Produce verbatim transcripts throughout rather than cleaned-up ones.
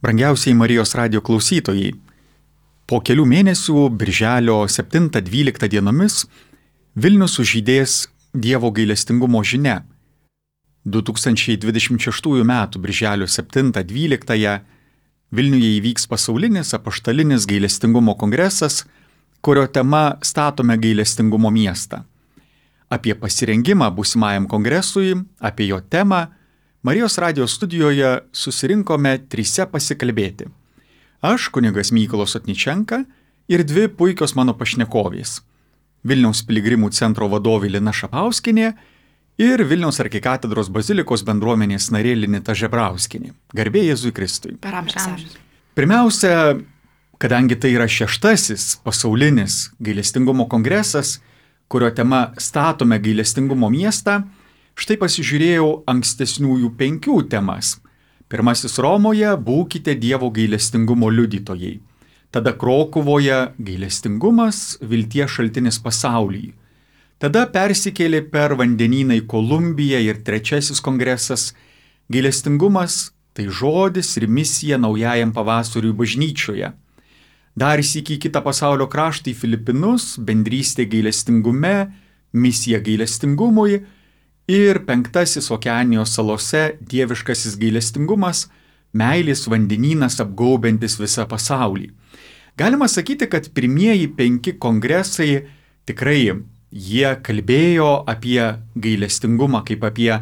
Brangiausiai Marijos radijo klausytojai, po kelių mėnesių, birželio septintą dvyliktą dienomis, Vilnius sužydės Dievo gailestingumo žinia. du tūkstančiai dvidešimt šeštųjų metų birželio septintą dvyliktąją Vilniuje įvyks pasaulinis apaštalinis gailestingumo kongresas, kurio tema Statome gailestingumo miestą. Apie pasirengimą būsimajam kongresui, apie jo temą, Marijos radijo studijoje susirinkome trise pasikalbėti. Aš, kunigas Mykolas Otničenka ir dvi puikios mano pašnekovės. Vilniaus piligrimų centro vadovė Lina Šapauskienė ir Vilniaus arkikatedros bazilikos bendruomenės narė Linita Žebrauskienė. Garbė Jėzui Kristui. Per amžius. Pirmiausia, kadangi tai yra šeštasis pasaulinis gailestingumo kongresas, kurio tema Statome gailestingumo miestą, štai pasižiūrėjau ankstesniųjų penkių temas. Pirmasis Romoje – būkite Dievo gailestingumo liudytojai. Tada Krokuvoje – gailestingumas, vilties šaltinis pasaulyje. Tada persikėlė per vandenyną į Kolumbiją ir trečiasis kongresas – gailestingumas, tai žodis ir misija naujajam pavasariui bažnyčioje. Dar sykį kitą pasaulio kraštą į Filipinus, bendrystė gailestingume, misija gailestingumui ir penktasis Okeanijos salose dieviškasis gailestingumas, meilės vandenynas apgaubiantis visą pasaulį. Galima sakyti, kad pirmieji penki kongresai tikrai jie kalbėjo apie gailestingumą kaip apie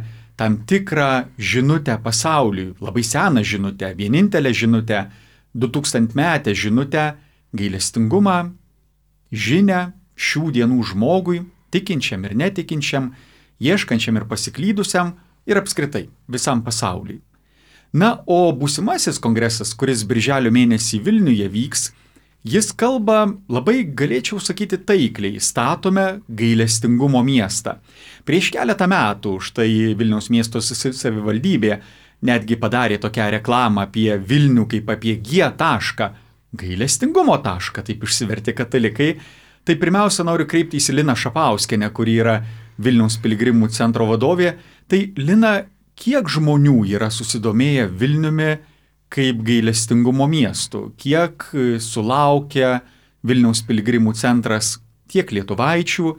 tam tikrą žinutę pasauliui, labai seną žinutę, vienintelę žinutę, du tūkstantmetę žinutę, gailestingumą, žinią šių dienų žmogui, tikinčiam ir netikinčiam, ieškančiam ir pasiklydusiam ir apskritai visam pasauliui. Na, o būsimasis kongresas, kuris birželio mėnesį Vilniuje vyks, jis kalba labai, galėčiau sakyti, taikliai, statome gailestingumo miestą. Prieš keletą metų štai Vilniaus miesto savivaldybė netgi padarė tokią reklamą apie Vilnių kaip apie G tašką, gailestingumo tašką, taip išsivertė katalikai. Tai pirmiausia noriu kreiptis į Liną Šapauskienę, kuri yra Vilniaus piligrimų centro vadovė. Tai Lina, kiek žmonių yra susidomėję Vilniumi kaip gailestingumo miestu? Kiek sulaukia Vilniaus piligrimų centras tiek lietuvaičių,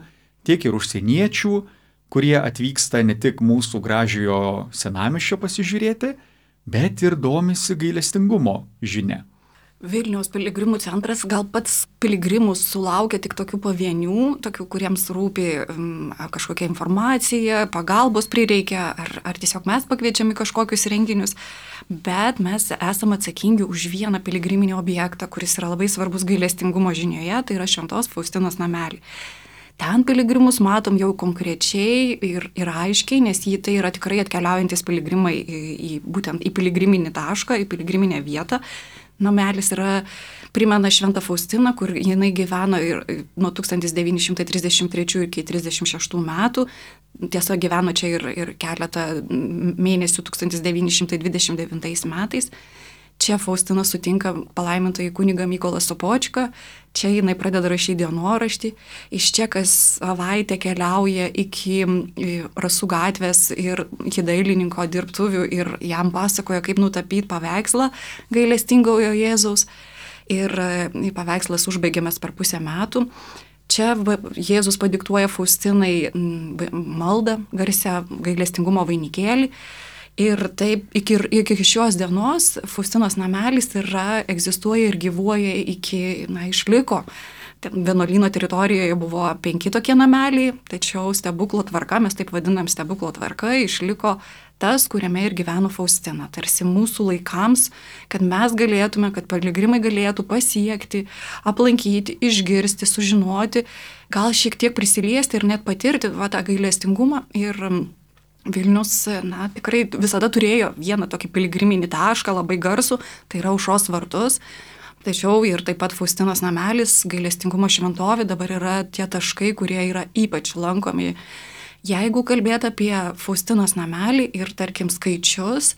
tiek ir užsieniečių, kurie atvyksta ne tik mūsų gražiojo senamiesčio pasižiūrėti, bet ir domisi gailestingumo žinia? Vilniaus piligrimų centras gal pats piligrimus sulaukia tik tokių pavienių, tokių, kuriems rūpi um, kažkokia informacija, pagalbos prireikia, ar, ar tiesiog mes pakviečiami kažkokius renginius, bet mes esame atsakingi už vieną piligriminį objektą, kuris yra labai svarbus gailestingumo žinioje, tai yra Šventos Faustinos namelį. Ten piligrimus matom jau konkrečiai ir, ir aiškiai, nes jį tai yra tikrai atkeliaujantis piligrimai į, į, būtent į piligriminį tašką, į piligriminę vietą. Namelis yra, primena Šventą Faustiną, kur jinai gyveno ir nuo tūkstantis devyni šimtai trisdešimt trečių iki trisdešimt šeštų metų. Tiesa, gyveno čia ir, ir keletą mėnesių tūkstantis devyni šimtai dvidešimt devintais metais. Čia Faustina sutinka palaimintąjį kunigą Mykolą Sopočką, čia jinai pradeda rašyti dienoraštį, iš čia kas savaitę keliauja iki Rasų gatvės ir iki dailininko dirbtuvių ir jam pasakoja, kaip nutapyti paveikslą gailestingojo Jėzaus. Ir paveikslas užbaigiamas per pusę metų. Čia Jėzus padiktuoja Faustinai maldą, garsią gailestingumo vainikėlį. Ir taip iki, iki šios dienos Faustinos namelis yra, egzistuoja ir gyvuoja iki, na, išliko. Vienuolyno teritorijoje buvo penki tokie nameliai, tačiau stebuklo tvarka, mes taip vadinam stebuklo tvarka, išliko tas, kuriame ir gyveno Faustina. Tarsi mūsų laikams, kad mes galėtume, kad piligrimai galėtų pasiekti, aplankyti, išgirsti, sužinoti, gal šiek tiek prisiliesti ir net patirti va, tą gailestingumą. Ir Vilnius, na, tikrai visada turėjo vieną tokį piligriminį tašką, labai garsų, tai yra Aušros vartus. Tačiau ir taip pat Faustinos namelis, gailestingumo šventovė dabar yra tie taškai, kurie yra ypač lankomi. Jeigu kalbėt apie Faustinos namelį ir, tarkim, skaičius,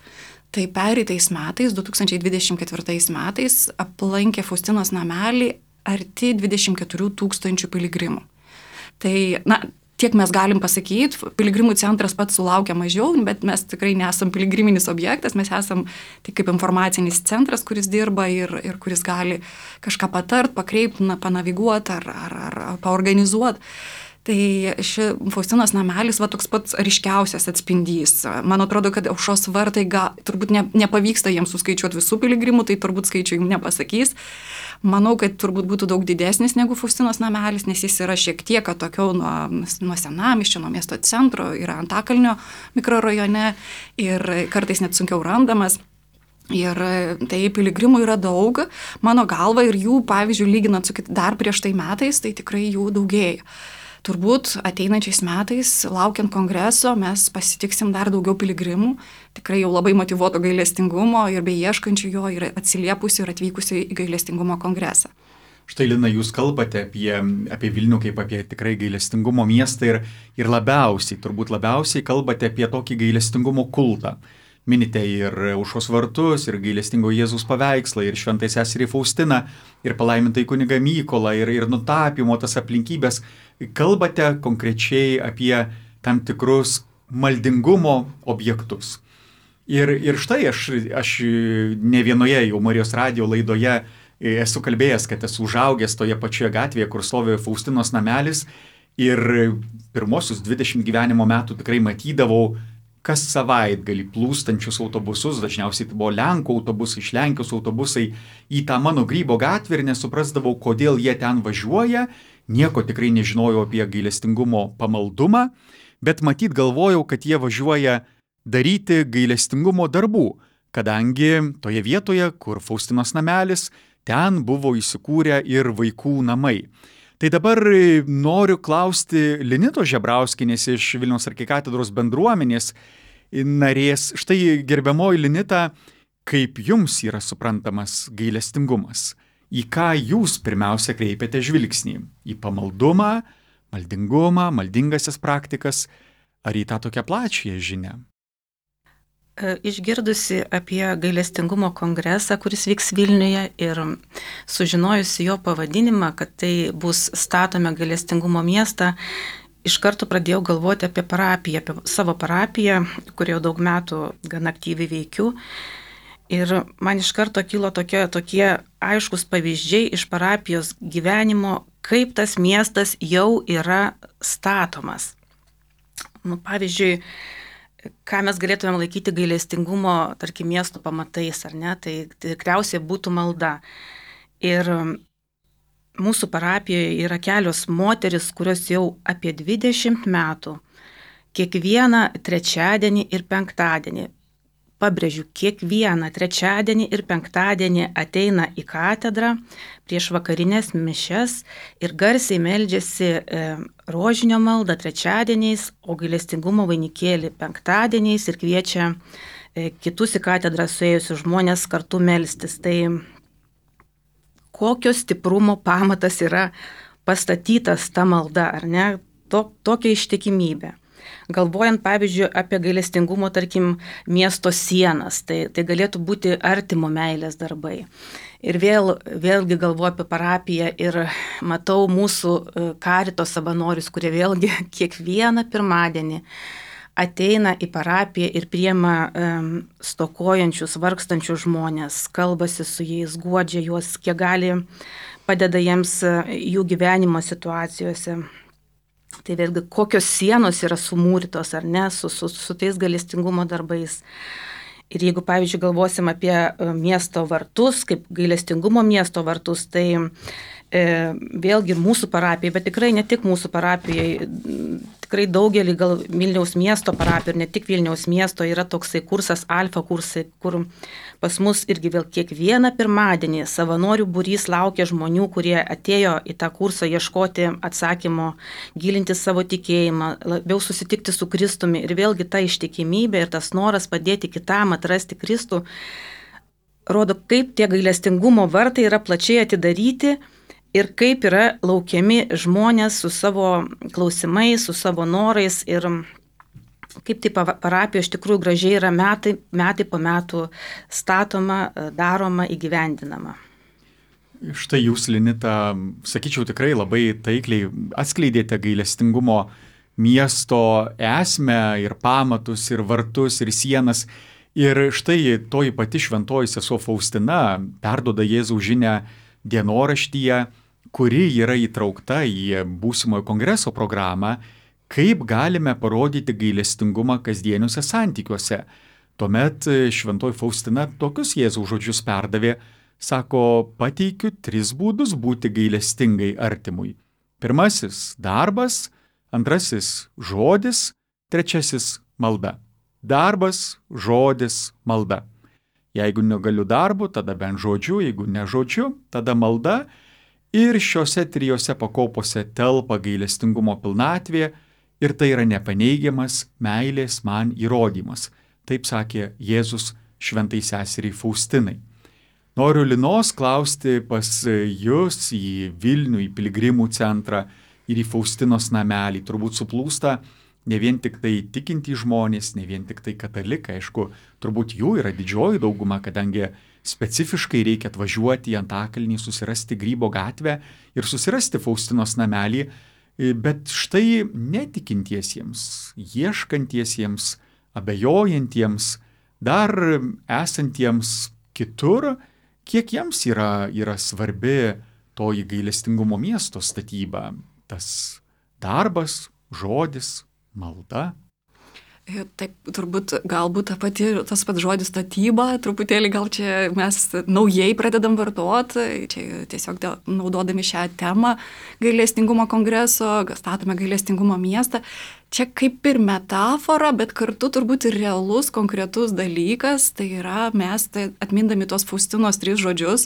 tai pereitais metais, du tūkstančiai dvidešimt ketvirtais metais, aplankė Faustinos namelį arti dvidešimt keturių tūkstančių piligrimų. Tai, na, tiek mes galim pasakyti, piligrimų centras pats sulaukia mažiau, bet mes tikrai nesam piligriminis objektas, mes esam tai kaip informacinis centras, kuris dirba ir, ir kuris gali kažką patart, pakreipti, panaviguoti ar, ar, ar paorganizuoti. Tai ši Faustinos namelis va toks pats ryškiausias atspindys. Man atrodo, kad Aušros vartai ga, turbūt ne, nepavyksta jiems suskaičiuoti visų piligrimų, tai turbūt skaičių jums nepasakys. Manau, kad turbūt būtų daug didesnis negu Faustinos namelis, nes jis yra šiek tiek atokiau nuo, nuo senamiesčio, nuo miesto centro, yra Antakalnio mikrorajone ir kartais net sunkiau randamas. Ir tai piligrimų yra daug, mano galva, ir jų, pavyzdžiui, lyginant su dar prieš tai metais, tai tikrai jų daugėja. Turbūt ateinančiais metais, laukiant kongreso, mes pasitiksim dar daugiau piligrimų, tikrai jau labai motyvuoto gailestingumo ir beieškančių jo ir atsiliepusių ir atvykusių į gailestingumo kongresą. Štai, Lina, jūs kalbate apie, apie Vilnių kaip apie tikrai gailestingumo miestą ir, ir labiausiai, turbūt labiausiai kalbate apie tokį gailestingumo kultą. Minite ir Aušros vartus, ir gailestingo Jėzaus paveikslą, ir šventai seserį Faustiną, ir palaimintai kunigą Mykolą, ir, ir nutapymo tas aplinkybės. Kalbate konkrečiai apie tam tikrus maldingumo objektus. Ir, ir štai aš, aš ne vienoje jau Marijos radijo laidoje esu kalbėjęs, kad esu užaugęs toje pačioje gatvėje, kur stovi Faustinos namelis, ir pirmosius dvidešimt gyvenimo metų tikrai matydavau kas savaitgalį plūstančius autobusus, dažniausiai tai buvo Lenkų autobusai, iš Lenkijos autobusai, į tą mano Grybo gatvę ir nesuprasdavau, kodėl jie ten važiuoja, nieko tikrai nežinojau apie gailestingumo pamaldumą, bet matyt galvojau, kad jie važiuoja daryti gailestingumo darbų, kadangi toje vietoje, kur Faustinos namelis, ten buvo įsikūrę ir vaikų namai. Tai dabar noriu klausti Linitos Žebrauskienės iš Vilniaus arkikatedros bendruomenės narės. Štai, gerbiamoji Linita, kaip jums yra suprantamas gailestingumas? Į ką jūs pirmiausia kreipiate žvilgsnį? Į pamaldumą, maldingumą, maldingasias praktikas, ar į tą tokią plačią žinią? Išgirdusi apie gailestingumo kongresą, kuris vyks Vilniuje, ir sužinojusi jo pavadinimą, kad tai bus statome gailestingumo miestą, iš karto pradėjau galvoti apie parapiją, apie savo parapiją, kurioje daug metų gan aktyviai veikiu. Ir man iš karto kilo tokie, tokie aiškus pavyzdžiai iš parapijos gyvenimo, kaip tas miestas jau yra statomas. Nu, pavyzdžiui, ką mes galėtumėm laikyti gailestingumo, tarkim, miesto pamatais, ar ne, tai tikriausiai būtų malda. Ir mūsų parapijoje yra kelios moteris, kurios jau apie dvidešimt metų, kiekvieną trečiadienį ir penktadienį, pabrėžiu, kiekvieną trečiadienį ir penktadienį ateina į katedrą prieš vakarinės mišias ir garsiai meldžiasi e, rožinio maldą trečiadieniais, o gailestingumo vainikėlį penktadieniais ir kviečia e, kitus į katedrą suėjusius žmonės kartu melstis. Tai kokio stiprumo pamatas yra pastatytas ta malda, ar ne? To, tokia ištikimybė. Galvojant, pavyzdžiui, apie gailestingumo, tarkim, miesto sienas, tai, tai galėtų būti artimo meilės darbai. Ir vėl, vėlgi galvoju apie parapiją ir matau mūsų karito savanorius, kurie vėlgi kiekvieną pirmadienį ateina į parapiją ir priima um, stokojančius, vargstančius žmonės, kalbasi su jais, guodžia juos, kiek gali, padeda jiems jų gyvenimo situacijose. Tai vėlgi, kokios sienos yra sumūrytos ar ne, su, su, su tais gailestingumo darbais. Ir jeigu, pavyzdžiui, galvosim apie miesto vartus, kaip gailestingumo miesto vartus, tai e, vėlgi mūsų parapijai, bet tikrai ne tik mūsų parapijai, tikrai daugelį gal Vilniaus miesto parapijų ir ne tik Vilniaus miesto yra toksai kursas, alfa kursai, kur pas mus irgi vėl kiekvieną pirmadienį savanorių būrys laukia žmonių, kurie atėjo į tą kursą ieškoti atsakymo, gilinti savo tikėjimą, labiau susitikti su Kristumi. Ir vėlgi ta ištikimybė ir tas noras padėti kitam atrasti Kristų rodo, kaip tie gailestingumo vartai yra plačiai atidaryti ir kaip yra laukiami žmonės su savo klausimais, su savo norais ir kaip tai parapija iš tikrųjų gražiai yra metai, metai po metų statoma, daroma, įgyvendinama. Štai jūs, Linita, sakyčiau, tikrai labai taikliai atskleidėte gailestingumo miesto esmę ir pamatus, ir vartus, ir sienas. Ir štai toji pati šventoji sesuo Faustina perduoda Jėzaus žinią dienoraštyje, kuri yra įtraukta į būsimojo kongreso programą, kaip galime parodyti gailestingumą kasdieniuose santykiuose. Tuomet šventoji Faustina tokius Jėzaus žodžius perdavė, sako, pateikiu tris būdus būti gailestingai artimui. Pirmasis – darbas, antrasis – žodis, trečiasis – malda. Darbas, žodis, malda. Jeigu negaliu darbu, tada bent žodžiu, jeigu ne žodžiu, tada malda. Ir šiuose trijose pakopose telpa gailestingumo pilnatvė ir tai yra nepaneigiamas meilės man įrodymas. Taip sakė Jėzus šventai seseriai Faustinai. Noriu Linos klausti pas jūs į Vilnių, į piligrimų centrą ir į Faustinos namelį. Turbūt suplūsta ne vien tik tai tikintys žmonės, ne vien tik tai katalikai, aišku, turbūt jų yra didžioji dauguma, kadangi specifiškai reikia atvažiuoti į Antakalnį, susirasti Grybo gatvę ir susirasti Faustinos namelį, bet štai netikintiesiems, ieškantiesiems, abejojantiems, dar esantiems kitur, kiek jiems yra, yra svarbi toji gailestingumo miesto statyba, tas darbas, žodis, malda. Taip, turbūt galbūt ta pati, tas pats žodis statyba, truputėlį gal čia mes naujai pradedam vartoti, čia tiesiog dėl, naudodami šią temą gailestingumo kongreso, statome gailestingumo miestą. Čia kaip ir metafora, bet kartu turbūt ir realus, konkretus dalykas, tai yra mes tai atmindami tos Faustinos tris žodžius,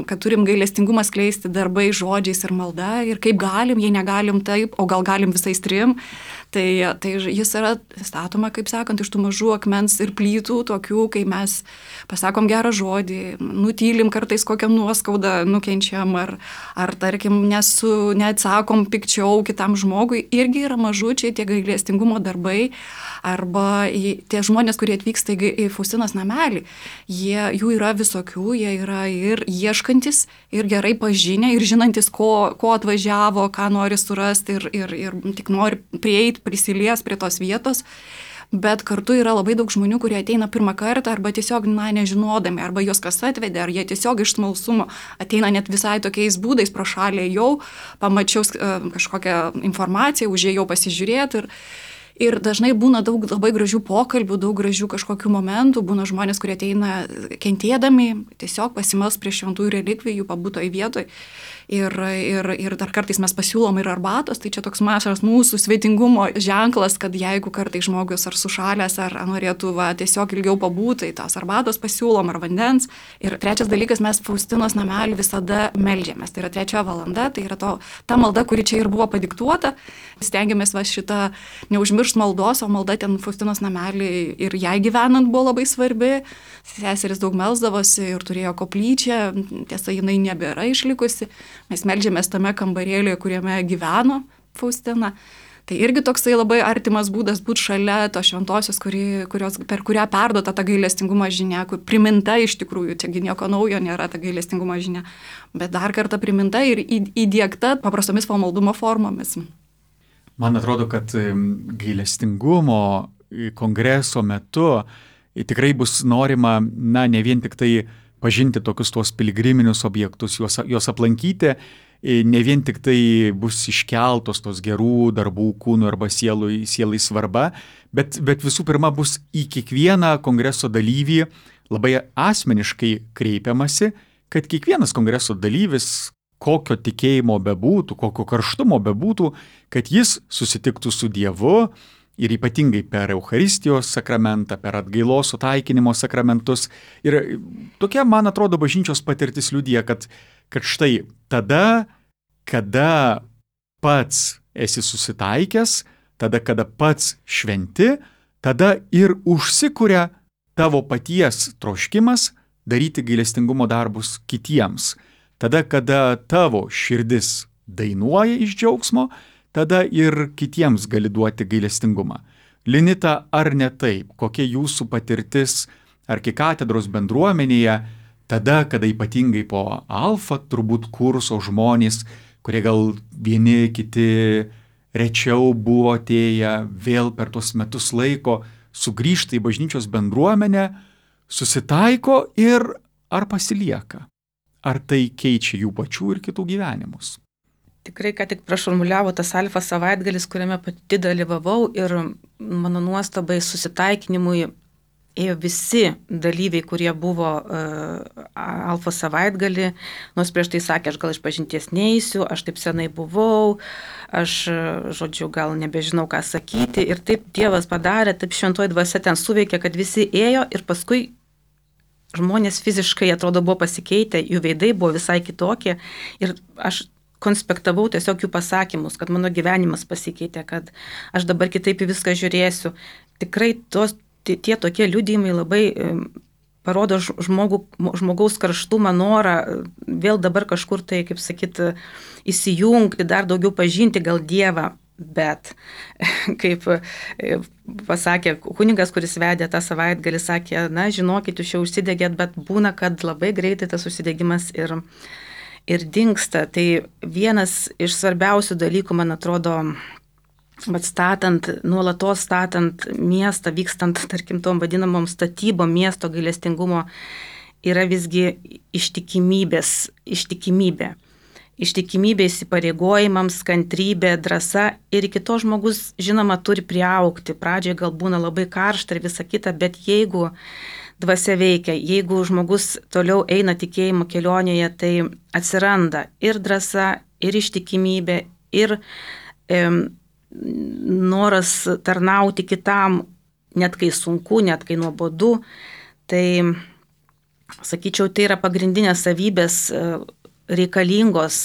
kad turim gailestingumą skleisti darbai, žodžiais ir malda, ir kaip galim, jei negalim taip, o gal galim visais trim, tai, tai jis yra statoma, kaip sakant, iš tų mažų akmens ir plytų, tokių, kai mes pasakom gerą žodį, nutylim kartais kokią nuoskaudą nukenčiam, ar, ar tarkim, nesu, neatsakom pikčiau kitam žmogui, irgi yra mažų čia tie gailestingumo darbai, arba tie žmonės, kurie atvyksta į Faustinos namelį, jie, jų yra visokių, jie yra ir ieškantis, ir gerai pažinę, ir žinantis, ko, ko atvažiavo, ką nori surasti, ir, ir, ir tik nori prieiti, prisilies prie tos vietos. Bet kartu yra labai daug žmonių, kurie ateina pirmą kartą arba tiesiog, na, nežinodami, arba juos kas atvedė, ar jie tiesiog iš smalsumo ateina net visai tokiais būdais, pro šalį jau, pamačiau kažkokią informaciją, užėjau pasižiūrėti ir, ir dažnai būna daug labai gražių pokalbių, daug gražių kažkokių momentų, būna žmonės, kurie ateina kentėdami, tiesiog pasimels prie šventųjų relikvijų, pabūtoj vietoj. Ir, ir, ir dar kartais mes pasiūlom ir arbatos, tai čia toks mažas mūsų svetingumo ženklas, kad jeigu kartais žmogus ar sušalęs, ar norėtų va, tiesiog ilgiau pabūti, tai tos arbatos pasiūlom ar vandens. Ir trečias dalykas, mes Faustinos namelį visada meldžiamės. Tai yra trečia valanda, tai yra to, ta malda, kuri čia ir buvo padiktuota. Stengiamės va šitą neužmiršt maldos, o malda ten Faustinos namelį ir jai gyvenant buvo labai svarbi. Seseris daug melsdavosi ir turėjo koplyčią, tiesa, jinai nebėra išlikusi. Mes meldžiamės tame kambarėlėje, kuriame gyveno Faustina. Tai irgi toksai labai artimas būdas būti šalia tos šventosios, kuri, kurios, per kurią perduota ta gailestingumo žinia, kur priminta iš tikrųjų, čiagi nieko naujo nėra ta gailestingumo žinia, bet dar kartą priminta ir įdiegta paprastomis pamaldumo formomis. Man atrodo, kad gailestingumo kongreso metu tikrai bus norima, na, ne vien tik tai pažinti tokius tuos piligriminius objektus, juos, juos aplankyti, ne vien tik tai bus iškeltos tos gerų darbų kūnų arba sielui, sielai svarba, bet, bet visų pirma bus į kiekvieną kongreso dalyvį labai asmeniškai kreipiamasi, kad kiekvienas kongreso dalyvis, kokio tikėjimo bebūtų, kokio karštumo bebūtų, kad jis susitiktų su Dievu, ir ypatingai per Eucharistijos sakramentą, per atgailos sutaikinimo sakramentus. Ir tokia, man atrodo, bažnyčios patirtis liudija, kad, kad štai tada, kada pats esi susitaikęs, tada, kada pats šventi, tada ir užsikuria tavo paties troškimas daryti gailestingumo darbus kitiems. Tada, kada tavo širdis dainuoja iš džiaugsmo, tada ir kitiems gali duoti gailestingumą. Linita, ar ne taip? Kokia jūsų patirtis arkikatedros bendruomenėje, tada, kada ypatingai po alfa turbūt kurso žmonės, kurie gal vieni kiti rečiau buvo atėję, vėl per tuos metus laiko sugrįžta į bažnyčios bendruomenę, susitaiko ir ar pasilieka? Ar tai keičia jų pačių ir kitų gyvenimus? Tikrai, ką tik prašurmuliavo tas alfa savaitgalis, kuriame pati dalyvavau ir mano nuostabai susitaikinimui ėjo visi dalyviai, kurie buvo uh, alfa savaitgalį, nors prieš tai sakė, aš gal iš pažinties neįsiu, aš taip senai buvau, aš, žodžiu, gal nebežinau, ką sakyti. Ir taip Dievas padarė, taip šventoji dvasia ten suveikė, kad visi ėjo ir paskui žmonės fiziškai, atrodo, buvo pasikeitę, jų veidai buvo visai kitokie ir aš konspektavau tiesiog jų pasakymus, kad mano gyvenimas pasikeitė, kad aš dabar kitaip į viską žiūrėsiu. Tikrai tos, tie, tie tokie liudijimai labai parodo žmogų, žmogaus karštumą, norą vėl dabar kažkur tai, kaip sakyt, įsijungti, dar daugiau pažinti gal Dievą. Bet, kaip pasakė kunigas, kuris vedė tą savaitgalį, sakė, na, žinokit, jūs jau užsidegėt, bet būna, kad labai greitai tas užsidegimas ir, ir dingsta. Tai vienas iš svarbiausių dalykų, man atrodo, atstatant, nuolatos statant miestą, vykstant, tarkim, tom vadinamom statybom miesto gailestingumo, yra visgi ištikimybės, ištikimybė. Ištikimybė įsipareigojimams, kantrybė, drąsa ir iki to žmogus, žinoma, turi priaugti. Pradžioje gal būna labai karšta ir visa kita, bet jeigu dvasia veikia, jeigu žmogus toliau eina tikėjimo kelionėje, tai atsiranda ir drąsa, ir ištikimybė, ir e, noras tarnauti kitam, net kai sunku, net kai nuobodu. Tai, sakyčiau, tai yra pagrindinės savybės reikalingos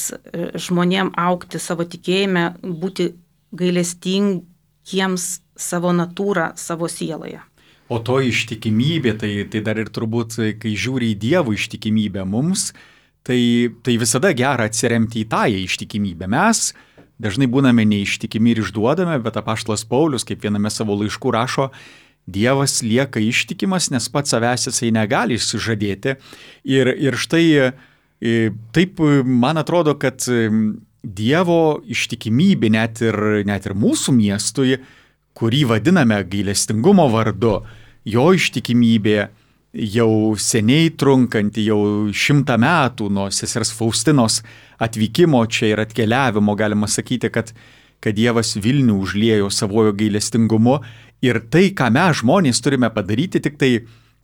žmonėm augti savo tikėjime, būti gailestingiems savo natūrą, savo sieloje. O to ištikimybė, tai, tai dar ir turbūt, kai žiūri į Dievo ištikimybę mums, tai, tai visada gera atsiremti į tą ištikimybę. Mes dažnai būname neištikimi ir išduodame, bet apaštalas Paulius, kaip viename savo laiškų rašo, Dievas lieka ištikimas, nes pats savęs jisai negali išsižadėti. Ir, ir štai taip, man atrodo, kad Dievo ištikimybė net ir, net ir mūsų miestui, kurį vadiname gailestingumo vardu, jo ištikimybė jau seniai trunkanti, jau šimtą metų nuo sesers Faustinos atvykimo čia ir atkeliavimo, galima sakyti, kad, kad Dievas Vilnių užliejo savojo gailestingumu ir tai, ką mes žmonės turime padaryti, tik tai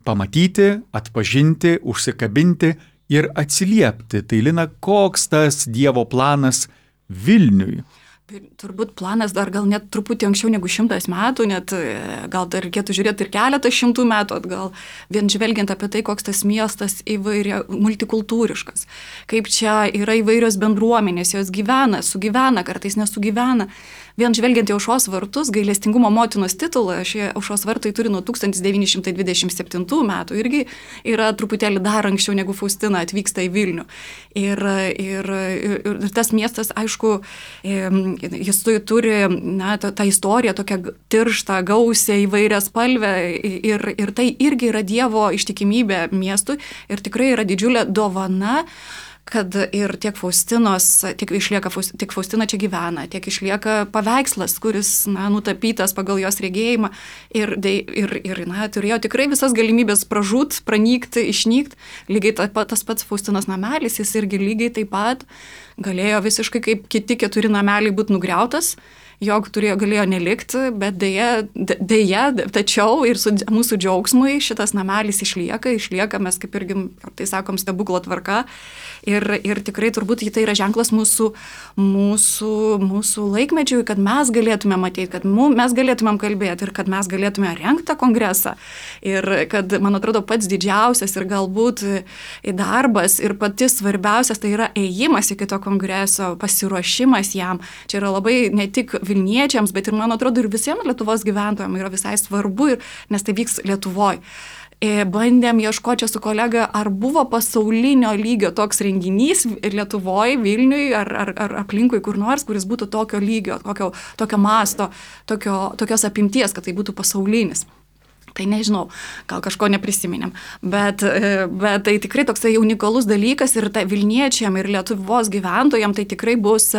pamatyti, atpažinti, užsikabinti ir atsiliepti. Tai, Lina, koks tas Dievo planas Vilniui? Turbūt planas dar gal net truputį anksčiau negu šimtas metų, net gal dar reikėtų žiūrėti ir keletą šimtų metų atgal, vien žvelgiant apie tai, koks tas miestas įvairia, multikultūriškas, kaip čia yra įvairios bendruomenės, jos gyvena, sugyvena, kartais nesugyvena. Vien žvelgiant į Aušros vartus, gailestingumo motinos titulą, šie Aušros vartai turi nuo tūkstantis devyni šimtai dvidešimt septintų metų, irgi yra truputėlį dar anksčiau negu Faustina atvyksta į Vilnių. Ir, ir, ir tas miestas, aišku, jis turi na, tą, tą istoriją tokią tirštą, gausią, įvairią spalvę ir, ir tai irgi yra Dievo ištikimybė miestui ir tikrai yra didžiulė dovana, kad ir tiek Faustinos, tiek išlieka, tiek Faustina čia gyvena, tiek išlieka paveikslas, kuris, na, nutapytas pagal jos regėjimą ir, ir, ir na, turėjo tikrai visas galimybės pražūt, pranykti, išnykti. Lygiai ta, tas pats Faustinos namelis, jis irgi lygiai taip pat galėjo visiškai kaip kiti keturi nameliai būti nugriautas, jog turėjo, galėjo nelikti, bet dėja, dėja, tačiau ir su mūsų džiaugsmui šitas namelis išlieka, išlieka, mes kaip irgi, tai sakom, stebuklo tvarka ir, ir tikrai turbūt tai yra ženklas mūsų, mūsų, mūsų laikmečiui, kad mes galėtume matyti, kad mums, mes galėtumėm kalbėti ir kad mes galėtume rengti tą kongresą ir kad, man atrodo, pats didžiausias ir galbūt darbas ir pati svarbiausias tai yra ėjimas iki to kongreso, pasiruošimas jam. Čia yra labai ne tik Vilniečiams, bet ir, man atrodo, ir visiems Lietuvos gyventojams yra visai svarbu, ir, nes tai vyks Lietuvoj. Bandėm ieškoti su kolega, ar buvo pasaulinio lygio toks renginys Lietuvoj, Vilniui, ar, ar, ar aplinkui kur nors, kuris būtų tokio lygio, tokio, tokio masto, tokio, tokios apimties, kad tai būtų pasaulinis. Tai nežinau, gal kažko neprisiminėm, bet, bet tai tikrai toksai unikalus dalykas ir tai Vilniečiam ir Lietuvos gyventojam tai tikrai bus,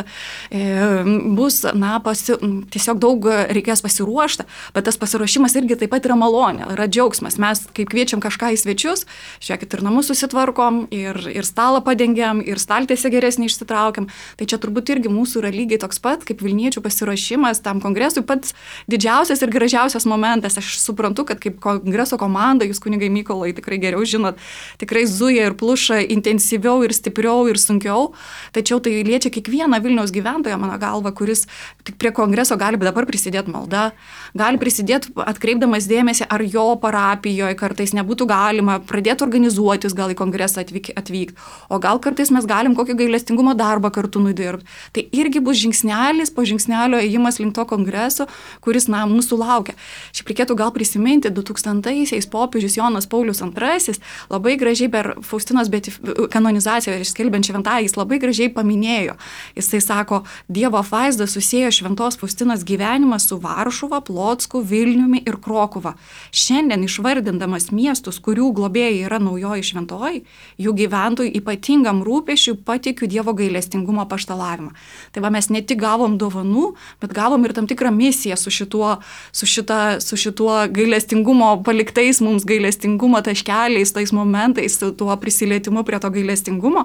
bus na, pasi, tiesiog daug reikės pasiruošti, bet tas pasiruošimas irgi taip pat yra malonė, yra džiaugsmas. Mes kaip kviečiam kažką į svečius, žiūrėkit, ir namus susitvarkom, ir, ir stalą padengiam, ir staltiesę geresnį išsitraukiam. Tai čia turbūt irgi mūsų yra lygiai toks pat, kaip Vilniečių pasiruošimas tam kongresui pats didžiausias ir gražiausias momentas. Aš suprantu, kad kaip kongreso komanda, jūs kunigai Mykolai tikrai geriau žinot, tikrai zuja ir pluša intensyviau ir stipriau ir sunkiau, tačiau tai liečia kiekvieną Vilniaus gyventoją, mano galva, kuris tik prie kongreso gali dabar prisidėti malda, gali prisidėti atkreipdamas dėmesį, ar jo parapijoje kartais nebūtų galima pradėti organizuotis, gal į kongresą atvykti, atvyk, o gal kartais mes galim kokį gailestingumo darbą kartu nudirbti. Tai irgi bus žingsnelis po žingsnelio ėjimas link to kongreso, kuris, na, mūsų laukia. Šiaip reikėtų gal prisiminti, du tūkstantaisiais popiežius Jonas Paulius antrasis labai gražiai per Faustinos betif... kanonizaciją ir skelbiant šventąją, jis labai gražiai paminėjo. Jisai sako, Dievo apvaizda susiejo šventos Faustinos gyvenimą su Varšuva, Plocku, Vilniumi ir Krokuva. Šiandien išvardindamas miestus, kurių globėjai yra naujoji šventoji, jų gyventojų ypatingam rūpesčiui patikiu Dievo gailestingumo paštalavimą. Tai va, mes ne tik gavom dovanų, bet gavom ir tam tikrą misiją su šituo, su šita, su šituo gailestingumo paliktais mums gailestingumo taškeliais, tais momentais, tuo prisilietimu prie to gailestingumo,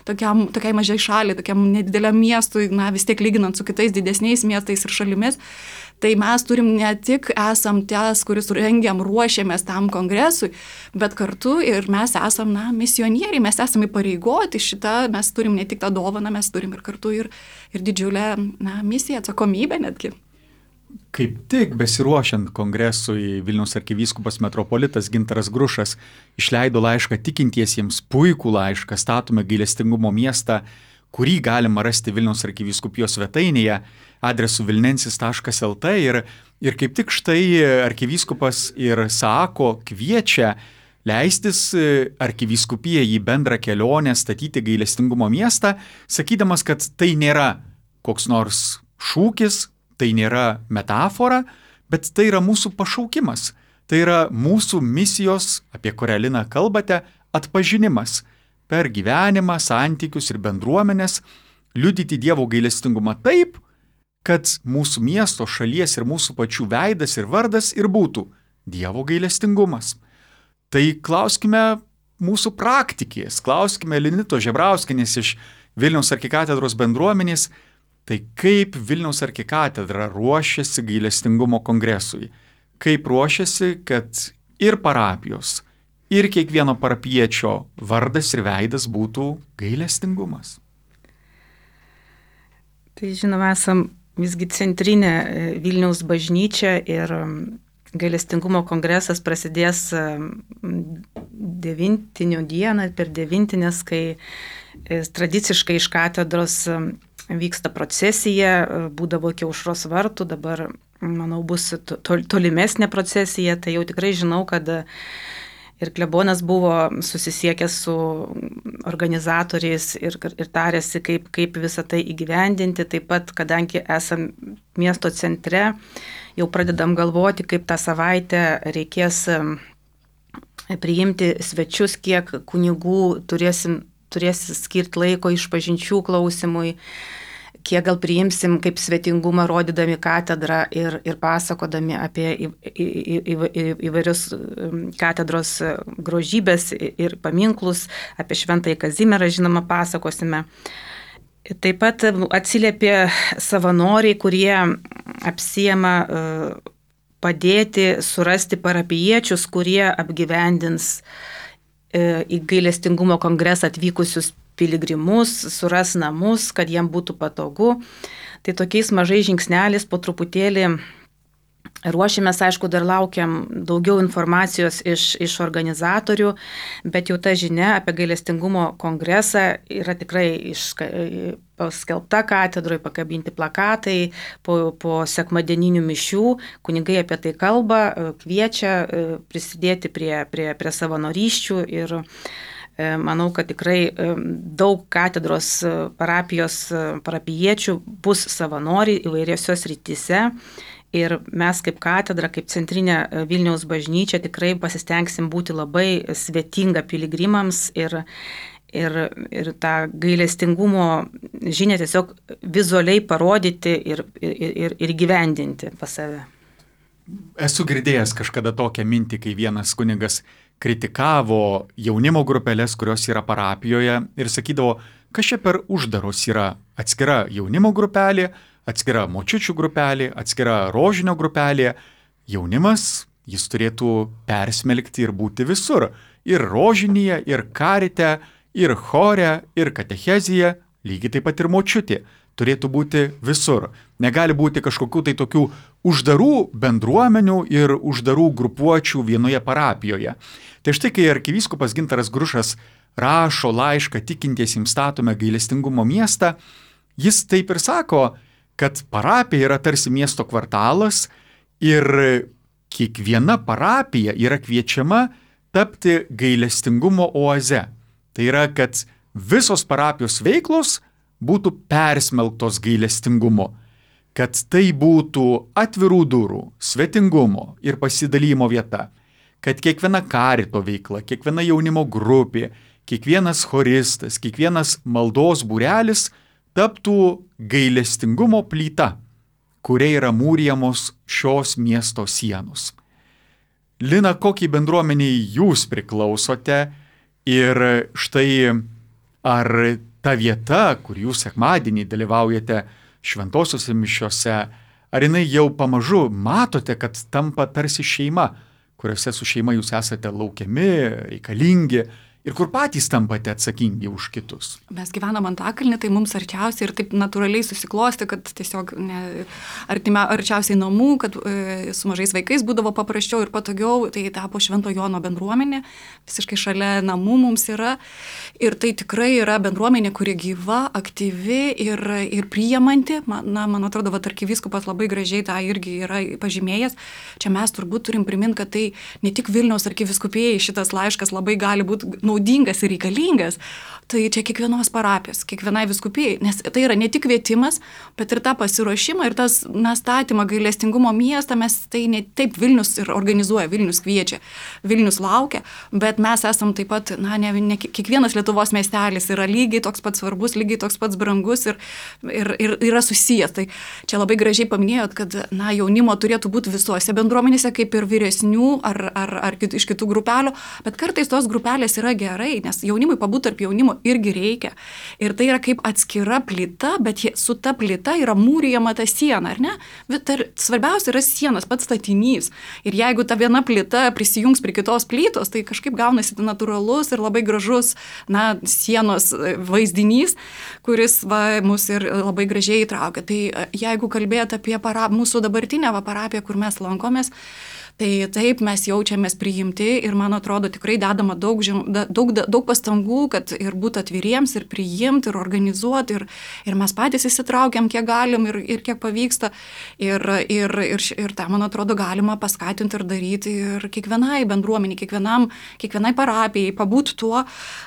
tokiam, tokiai mažai šaliai, tokiam nedideliam miestui, na vis tiek lyginant su kitais didesniais miestais ir šalimis, tai mes turim ne tik esam ties, kuris rengiam, ruošiamės tam kongresui, bet kartu ir mes esam, na, misionieriai, mes esame įpareigoti šitą, mes turim ne tik tą dovaną, mes turim ir kartu ir, ir didžiulę, na, misiją, atsakomybę netgi. Kaip tik besiruošiant kongresui Vilniaus arkivyskupas metropolitas Gintaras Grušas išleido laišką tikintiesiems, puikų laišką, statome gailestingumo miestą, kurį galima rasti Vilniaus arkivyskupijos svetainėje adresu vilnensis taškas el tė ir, ir kaip tik štai arkivyskupas ir sako, kviečia leistis arkivyskupiją į bendrą kelionę statyti gailestingumo miestą, sakydamas, kad tai nėra koks nors šūkis, tai nėra metafora, bet tai yra mūsų pašaukimas. Tai yra mūsų misijos, apie kurią Lina kalbate, atpažinimas per gyvenimą, santykius ir bendruomenės, liudyti Dievo gailestingumą taip, kad mūsų miesto, šalies ir mūsų pačių veidas ir vardas ir būtų Dievo gailestingumas. Tai klauskime mūsų praktikės, klauskime Linitos Žebrauskienės iš Vilniaus arkikatedros bendruomenės, tai kaip Vilniaus arkikatedra ruošiasi gailestingumo kongresui, kaip ruošiasi, kad ir parapijos, ir kiekvieno parapiečio vardas ir veidas būtų gailestingumas. Tai žinoma, esam visgi centrinė Vilniaus bažnyčia ir gailestingumo kongresas prasidės devintinių dieną, per devintinės, kai tradiciškai iš katedros vyksta procesija, būdavo iki aušros vartų, dabar, manau, bus tolimesnė procesija, tai jau tikrai žinau, kad ir klebonas buvo susisiekęs su organizatoriais ir, ir tarėsi, kaip, kaip visą tai įgyvendinti, taip pat, kadangi esam miesto centre, jau pradedam galvoti, kaip tą savaitę reikės priimti svečius, kiek kunigų turėsim turės skirti laiko išpažinčių klausimui, kiek gal priimsim kaip svetingumą rodydami katedrą ir, ir pasakodami apie į, į, į, į, įvairius katedros grožybės ir paminklus, apie Šventąjį Kazimierą, žinoma, pasakosime. Taip pat atsiliepė savanoriai, kurie apsiema padėti surasti parapijiečius, kurie apgyvendins į gailestingumo kongresą atvykusius piligrimus, suras namus, kad jiem būtų patogu. Tai tokiais mažai žingsnelis po truputėlį ruošiamės, aišku, dar laukiam daugiau informacijos iš, iš organizatorių, bet jau ta žinia apie gailestingumo kongresą yra tikrai iška, paskelbta katedroje, pakabinti plakatai po, po sekmadieninių mišių, kunigai apie tai kalba, kviečia prisidėti prie, prie, prie savanorysčių ir manau, kad tikrai daug katedros parapijos parapijiečių bus savanoriai įvairiose srityse Ir mes kaip katedra, kaip centrinė Vilniaus bažnyčia tikrai pasistengsim būti labai svetinga piligrimams ir Ir, ir tą gailestingumo žinią tiesiog vizualiai parodyti ir, ir, ir gyvendinti pas save. Esu girdėjęs kažkada tokią mintį, kai vienas kunigas kritikavo jaunimo grupelės, kurios yra parapijoje ir sakydavo, kas čia per uždaros yra atskira jaunimo grupelė, atskira močiučių grupelė, atskira rožinio grupelė. Jaunimas, jis turėtų persmelkti ir būti visur. Ir rožinėje, ir karite, ir chore, ir katechezija, lygiai taip pat ir močiutė, turėtų būti visur. Negali būti kažkokių tai tokių uždarų bendruomenių ir uždarų grupuočių vienoje parapijoje. Tai štai, kai arkivyskupas Gintaras Grušas rašo laišką tikintiesiems statome gailestingumo miestą, jis taip ir sako, kad parapija yra tarsi miesto kvartalas ir kiekviena parapija yra kviečiama tapti gailestingumo oaze. Tai yra, kad visos parapijos veiklos būtų persmelktos gailestingumo, kad tai būtų atvirų durų, svetingumo ir pasidalymo vieta, kad kiekviena karito veikla, kiekviena jaunimo grupė, kiekvienas choristas, kiekvienas maldos būrelis taptų gailestingumo plyta, kuria yra mūrijamos šios miesto sienos. Lina, kokiai bendruomeniai jūs priklausote? Ir štai ar ta vieta, kur jūs sekmadienį dalyvaujate šventosiuose mišiose, ar jinai jau pamažu matote, kad tampa tarsi šeima, kuriuose su šeima jūs esate laukiami, reikalingi ir kur patys tampate atsakingi už kitus? Mes gyvenam Antakalny, tai mums arčiausiai ir taip natūraliai susiklosti, kad tiesiog ne, artime, arčiausiai namų, kad e, su mažais vaikais būdavo paprasčiau ir patogiau, tai tapo Švento Jono bendruomenė, visiškai šalia namų mums yra. Ir tai tikrai yra bendruomenė, kuri gyva, aktyvi ir, ir priimanti. Man, na, man atrodo, va, arkivyskupas labai gražiai tą irgi yra pažymėjęs. Čia mes turbūt turim priminti, kad tai ne tik Vilniaus arkivyskupijai šitas laiškas labai gali būti naudingas ir reikalingas, tai čia kiekvienos parapijos, kiekvienai vyskupijai, nes tai yra ne tik kvietimas, bet ir tą pasiruošimą ir tas na, statymą gailestingumo miestą, mes tai ne taip Vilnius ir organizuoja, Vilnius kviečia, Vilnius laukia, bet mes esam taip pat, na, ne, ne kiekvienas Lietuvos miestelis yra lygiai toks pats svarbus, lygiai toks pats brangus ir, ir, ir yra susijęs. Tai čia labai gražiai paminėjot, kad, na, jaunimo turėtų būti visuose bendruomenėse, kaip ir vyresnių ar, ar, ar kit, iš kitų grupelių, bet kartais tos grupelės yra gerai, nes jaunimui pabūti tarp jaunimo irgi reikia. Ir tai yra kaip atskira plyta, bet su ta plyta yra mūrijama ta siena, ar ne? Bet svarbiausia yra sienos, pats statinys. Ir jeigu ta viena plyta prisijungs prie kitos plytos, tai kažkaip gaunasi natūralus ir labai gražus, na, sienos vaizdinys, kuris va, mus ir labai gražiai įtraukia. Tai jeigu kalbėt apie para, mūsų dabartinę va, parapiją, kur mes lankomės, tai taip mes jaučiamės priimti ir man atrodo tikrai dedama daug, daug, daug pastangų, kad ir būti atviriems, ir priimti, ir organizuoti, ir, ir mes patys įsitraukiam, kiek galim ir, ir kiek pavyksta. Ir, ir, ir, ir tą, man atrodo, galima paskatinti ir daryti ir kiekvienai bendruomeniai, kiekvienam, kiekvienai parapijai, pabūti tuo,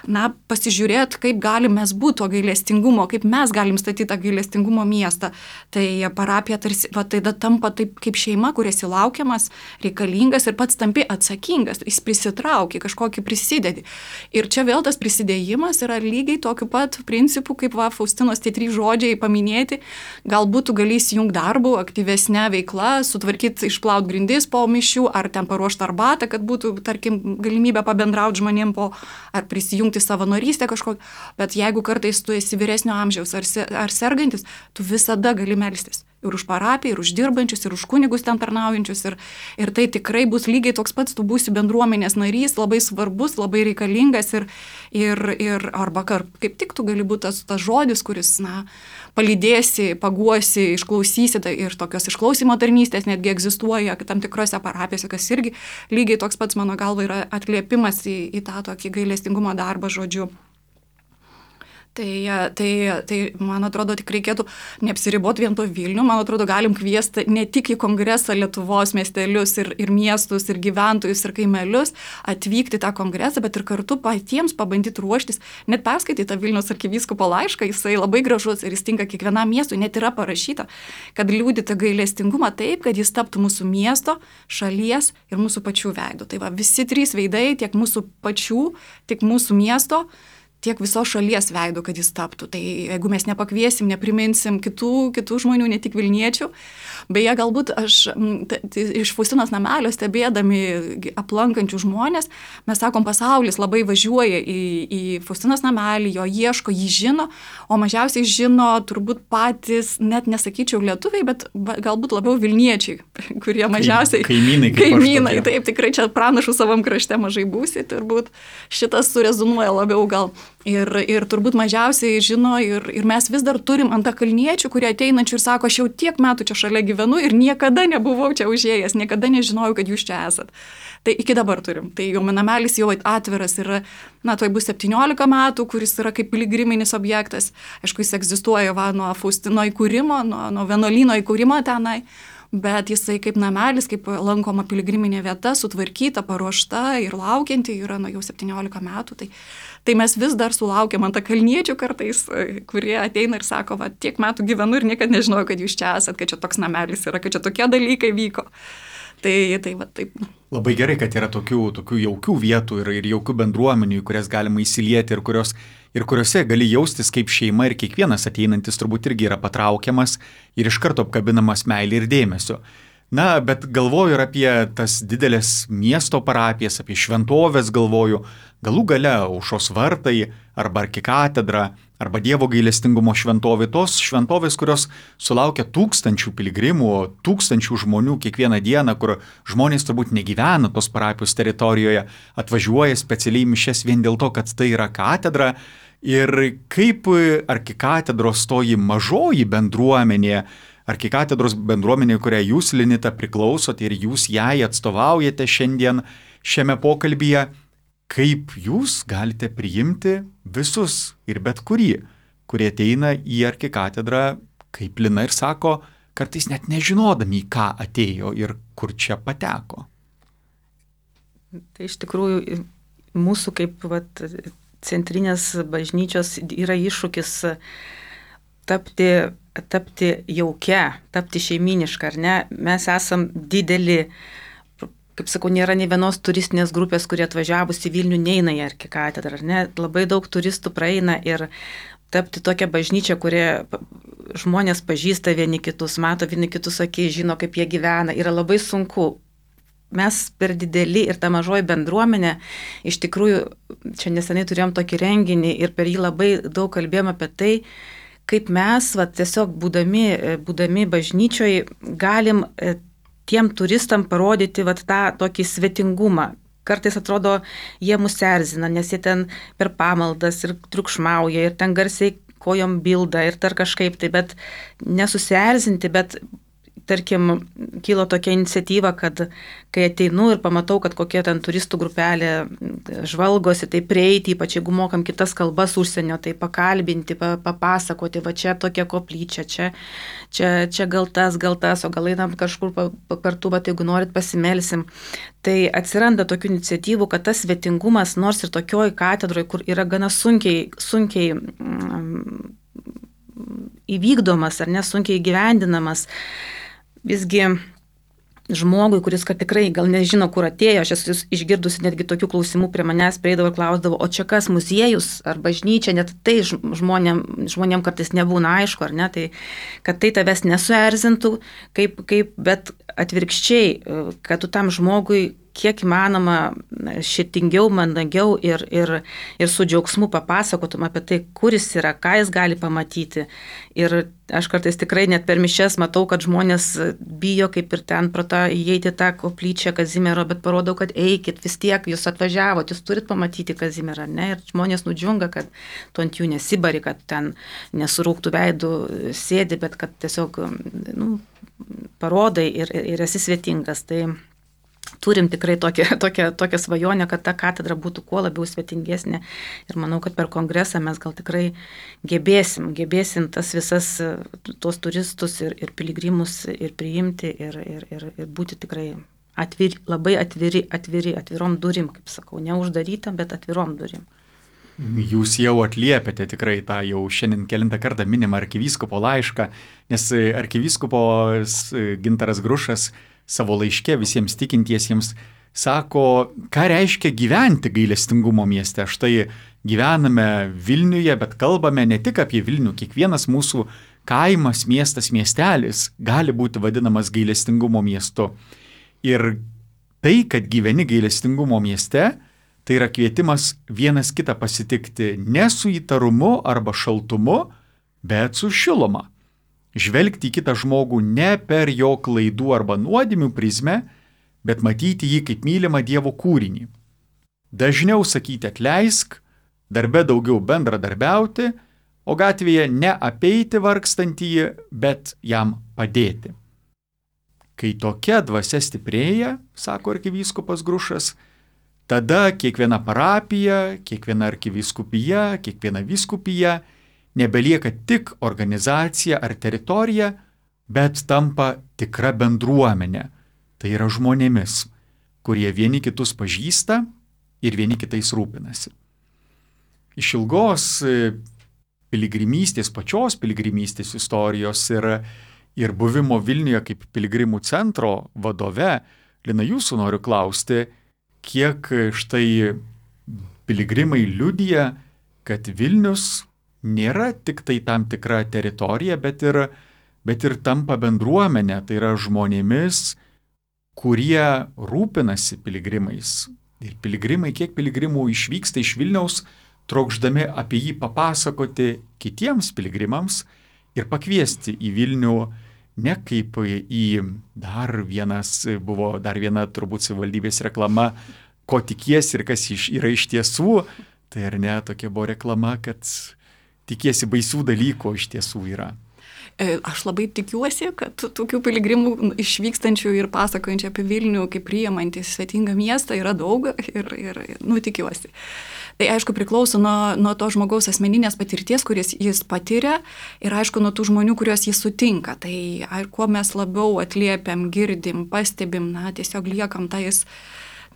na, pasižiūrėti, kaip galim mes būti to gailestingumo, kaip mes galim statyti tą gailestingumo miestą. Tai parapija tarsi, va, tai da, tampa taip kaip šeima, kuris įlaukiamas, reikalingas ir pats tampi atsakingas, jis prisitraukia, kažkokį prisidedi. Ir čia vėl tas prisidėjimas yra lygiai tokiu pat principu, kaip va, Faustinos tie trys žodžiai paminėti. Galbūt tu gali įsijungti darbų, aktyvesnę veiklą, sutvarkyti, išplaut grindis po mišių, ar ten paruošti arbatą, kad būtų, tarkim, galimybė pabendrauti žmonėm po, ar prisijungti savanorystę kažkokią. Bet jeigu kartais tu esi vyresnio amžiaus ar, se, ar sergantis, tu visada gali melstis. Ir už parapiją, ir už dirbančius, ir už kunigus ten tarnaujančius. Ir, ir tai tikrai bus lygiai toks pats, tu būsi bendruomenės narys, labai svarbus, labai reikalingas. Ir, ir, ir arba kaip tik tu gali būti tas, tas žodis, kuris, na, palydėsi, paguosi, išklausysi. Tai ir tokios išklausimo tarnystės netgi egzistuoja tam tikrose parapijose, kas irgi lygiai toks pats, mano galva, yra atliepimas į, į tą tokį gailestingumo darbą žodžiu. Tai, tai, tai, man atrodo, tik reikėtų neapsiriboti vien to Vilnių, man atrodo, galim kviesti ne tik į kongresą Lietuvos miestelius ir, ir miestus, ir gyventojus, ir kaimelius, atvykti tą kongresą, bet ir kartu patiems pabandyti ruoštis, net perskaityti tą Vilniaus arkivyskupo laišką, jisai labai gražus ir jis tinka kiekvienam miestui, net yra parašyta, kad liūdite gailestingumą taip, kad jis taptų mūsų miesto, šalies ir mūsų pačių veidų. Tai va, visi trys veidai, tiek mūsų pačių, tiek mūsų miesto, tiek visos šalies veidų, kad jis taptų. Tai jeigu mes nepakviesim, nepriminsim kitų, kitų žmonių, ne tik Vilniečių, beje, galbūt aš t, t, iš Faustinos namelio stebėdami aplankančių žmonės, mes sakom, pasaulis labai važiuoja į, į Faustinos namelį, jo ieško, jį žino, o mažiausiai žino turbūt patys, net nesakyčiau lietuviai, bet galbūt labiau Vilniečiai, kurie mažiausiai... Kaimynai. Kaimynai, taip, tikrai čia pranašų savam krašte mažai būsi, turbūt šitas surezonuoja labiau gal. Ir, ir turbūt mažiausiai žino ir, ir mes vis dar turim antakalniečių, kurie ateinančių ir sako, aš jau tiek metų čia šalia gyvenu ir niekada nebuvau čia užėjęs, niekada nežinojau, kad jūs čia esat. Tai iki dabar turim. Tai jau namelis jau atviras yra, na, tai bus septyniolika metų, kuris yra kaip piligriminis objektas. Aišku, jis egzistuoja va, nuo Faustino įkūrimo, nuo, nuo vienuolyno įkūrimo tenai. Bet jisai kaip namelis, kaip lankoma piligriminė vieta, sutvarkyta, paruošta ir laukianti yra nuo jau septyniolika metų. Tai, tai mes vis dar sulaukiam antakalniečių kartais, kurie ateina ir sako, va, tiek metų gyvenu ir niekada nežinojau, kad jūs čia esat, kad čia toks namelis yra, kad čia tokie dalykai vyko. Tai, tai va, taip. Labai gerai, kad yra tokių, tokių jaukių vietų ir, ir jaukių bendruomenių, kurias galima įsilieti ir, kurios, ir kuriuose gali jaustis kaip šeima ir kiekvienas ateinantis turbūt irgi yra patraukiamas ir iš karto apkabinamas meilė ir dėmesio. Na, bet galvoju ir apie tas didelės miesto parapijas, apie šventovės galvoju, galų gale Aušros vartai arba arkikatedra arba Dievo gailestingumo šventovė, tos šventovės, kurios sulaukia tūkstančių piligrimų, tūkstančių žmonių kiekvieną dieną, kur žmonės turbūt negyvena tos parapijos teritorijoje, atvažiuoja specialiai mišias vien dėl to, kad tai yra katedra. Ir kaip arkikatedros toji mažoji bendruomenė, arkikatedros bendruomenė, kurią jūs, Linita, priklausote ir jūs jai atstovaujate šiandien šiame pokalbyje, kaip jūs galite priimti visus ir bet kurį, kurie ateina į arkikatedrą, kaip Lina ir sako, kartais net nežinodami, į ką atėjo ir kur čia pateko. Tai iš tikrųjų mūsų kaip vat, centrinės bažnyčios yra iššūkis tapti, tapti jaukia, tapti šeiminiška, ar ne? Mes esam dideli, kaip sakau, nėra nei vienos turistinės grupės, kurie atvažiavus į Vilnių neina į arkikatedrą, ar ne? Labai daug turistų praeina ir tapti tokią bažnyčią, kurie žmonės pažįsta vieni kitus, mato vieni kitus akiai, žino, kaip jie gyvena, yra labai sunku. Mes per dideli ir ta mažoji bendruomenė, iš tikrųjų, čia neseniai turėjom tokį renginį ir per jį labai daug kalbėjom apie tai, kaip mes, va, tiesiog būdami, būdami bažnyčioje, galim tiem turistam parodyti va, tą tokį svetingumą. Kartais atrodo, jie mus erzina, nes jie ten per pamaldas ir triukšmauja, ir ten garsiai kojom bilda, ir dar kažkaip tai, bet nesusierzinti, bet tarkim, kilo tokia iniciatyva, kad kai ateinu ir pamatau, kad kokia ten turistų grupelė žvalgosi, tai prieiti, ypač jeigu mokam kitas kalbas užsienio, tai pakalbinti, papasakoti, va čia tokia koplyčia, čia, čia, čia gal tas, gal tas, o gal einam kažkur kartu, bet jeigu norit pasimelsim. Tai atsiranda tokių iniciatyvų, kad tas svetingumas, nors ir tokioj katedroje, kur yra gana sunkiai, sunkiai mm, įvykdomas ar nesunkiai įgyvendinamas, visgi žmogui, kuris kad tikrai gal nežino, kur atėjo, aš esu išgirdusi netgi tokių klausimų prie manęs, prieidavo ir klausdavo, o čia kas, muziejus ar bažnyčia, net tai žmonėm, žmonėm kartais nebūna aišku, ar ne, tai kad tai tavęs nesuerzintų, kaip, kaip, bet atvirkščiai, kad tu tam žmogui kiek įmanoma širdingiau, mandagiau ir, ir, ir su džiaugsmu papasakotum apie tai, kur jis yra, ką jis gali pamatyti. Ir aš kartais tikrai net per mišias matau, kad žmonės bijo kaip ir ten pro tą įeiti tą koplyčią Kazimiero, bet parodau, kad eikit, vis tiek jūs atvažiavot, jūs turit pamatyti Kazimierą, ne? Ir žmonės nudžiunga, kad tu ant jų nesibari, kad ten nesurūktų veidų sėdi, bet kad tiesiog nu, parodai ir, ir esi svetingas. Tai turim tikrai tokią, tokią, tokią svajonę, kad ta katedra būtų kuo labiau svetingesnė. Ir manau, kad per kongresą mes gal tikrai gebėsim, gebėsim tas visas tos turistus ir, ir piligrimus ir priimti ir, ir, ir, ir būti tikrai atviri, labai atviri, atviri, atvirom durim, kaip sakau, neuždarytam, bet atvirom durim. Jūs jau atliepėte tikrai tą jau šiandien kelintą kartą minimą arkivyskupo laišką, nes arkivyskupas Gintaras Grušas savo laiške visiems tikintiesiems sako, ką reiškia gyventi gailestingumo mieste. Štai gyvename Vilniuje, bet kalbame ne tik apie Vilnių. Kiekvienas mūsų kaimas, miestas, miestelis gali būti vadinamas gailestingumo miestu. Ir tai, kad gyveni gailestingumo mieste, tai yra kvietimas vienas kitą pasitikti ne su įtarumu arba šaltumu, bet su šiluma. Žvelgti į kitą žmogų ne per jo klaidų arba nuodėmių prizmę, bet matyti jį kaip mylimą Dievo kūrinį. Dažniau sakyti atleisk, darbe daugiau bendradarbiauti, o gatvėje ne apeiti vargstantįjį, bet jam padėti. Kai tokia dvasia stiprėja, sako arkivyskupas Grušas, tada kiekviena parapija, kiekviena arkivyskupija, kiekviena vyskupija nebelieka tik organizacija ar teritorija, bet tampa tikra bendruomenė. Tai yra žmonėmis, kurie vieni kitus pažįsta ir vieni kitais rūpinasi. Iš ilgos piligrimystės, pačios piligrimystės istorijos ir, ir buvimo Vilniuje kaip piligrimų centro vadove, Lina, jūsų noriu klausti, kiek štai piligrimai liudija, kad Vilnius nėra tik tai tam tikra teritorija, bet ir, bet ir tampa bendruomenė, tai yra žmonėmis, kurie rūpinasi piligrimais. Ir piligrimai, kiek piligrimų išvyksta iš Vilniaus, trokšdami apie jį papasakoti kitiems piligrimams ir pakviesti į Vilnių ne kaip į dar vienas, buvo dar viena turbūt savivaldybės reklama, ko tikiesi ir kas yra iš tiesų, tai ar ne, tokia buvo reklama, kad tikiesi baisių dalykų, iš tiesų yra. Aš labai tikiuosi, kad tokių piligrimų išvykstančių ir pasakojančių apie Vilnių kaip priimantį svetingą miestą yra daug ir, ir nu, tikiuosi. Tai aišku priklauso nuo, nuo to žmogaus asmeninės patirties, kuris jis patiria ir aišku nuo tų žmonių, kuriuos jis sutinka. Tai ar, kuo mes labiau atliepiam, girdim, pastebim, na, tiesiog liekam tais